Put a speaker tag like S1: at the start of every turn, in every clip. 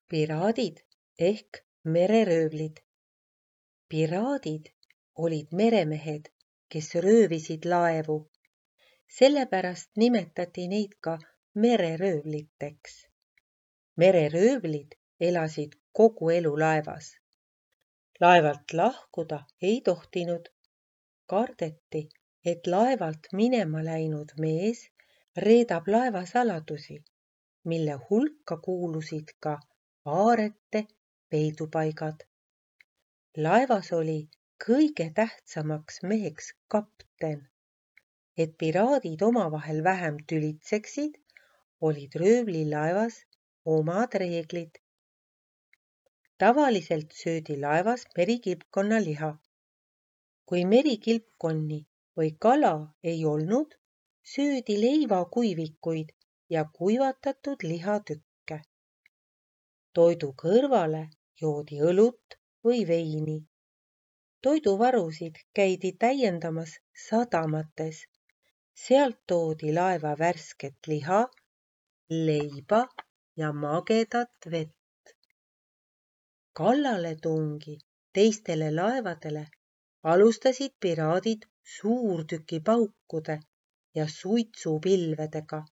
S1: Piraadid ehk mereröövlid. Piraadid olid meremehed, kes röövisid laevu. Sellepärast nimetati neid ka mereröövliteks. Mereröövlid elasid kogu elu laevas. Laevalt lahkuda ei tohtinud. Kardeti, et laevalt minema läinud mees reedab laeva saladusi, mille hulka kuulusid ka aarete peidupaigad. Laevas oli kõige tähtsamaks meheks kapten. Et piraadid omavahel vähem tülitseksid, olid röövlilaevas omad reeglid. Tavaliselt söödi laevas merikilpkonna liha. Kui merikilpkonni või kala ei olnud, söödi leivakuivikuid ja kuivatatud lihatükke. Toidu kõrvale joodi õlut või veini. Toiduvarusid käidi täiendamas sadamates. Sealt toodi laeva värsket liha, leiba ja magedat vett. Kallaletungi teistele laevadele alustasid piraadid suurtükipaukude ja suitsupilvedega.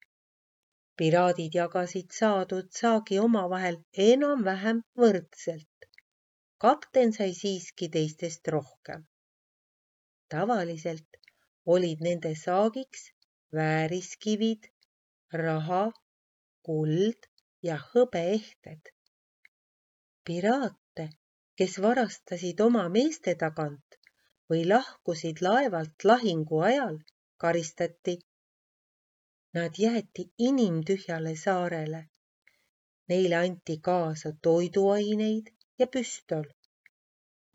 S1: Piraadid jagasid saadud saagi omavahel enam-vähem võrdselt. Kapten sai siiski teistest rohkem. Tavaliselt olid nende saagiks vääriskivid, raha, kuld ja hõbeehted. Piraate, kes varastasid oma meeste tagant või lahkusid laevalt lahingu ajal, karistati. Nad jäeti inimtühjale saarele. Neile anti kaasa toiduaineid ja püstol.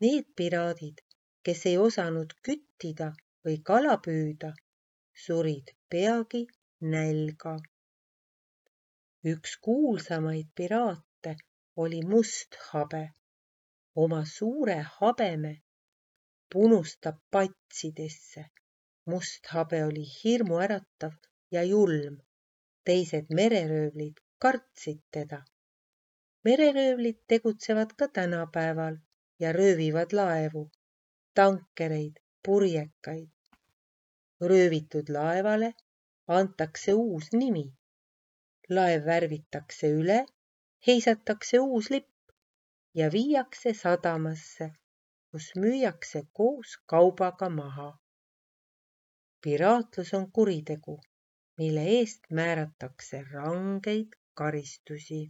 S1: Need piraadid, kes ei osanud küttida või kala püüda, surid peagi nälga. Üks kuulsamaid piraate oli Must Habe. Oma suure habeme punustab patsidesse. Must Habe oli hirmuäratav ja julm. Teised mereröövlid kartsid teda. Mereröövlid tegutsevad ka tänapäeval ja röövivad laevu, tankereid, purjekaid. Röövitud laevale antakse uus nimi. Laev värvitakse üle, heisatakse uus lipp ja viiakse sadamasse, kus müüakse koos kaubaga maha. Piraatlus on kuritegu, mille eest määratakse rangeid karistusi.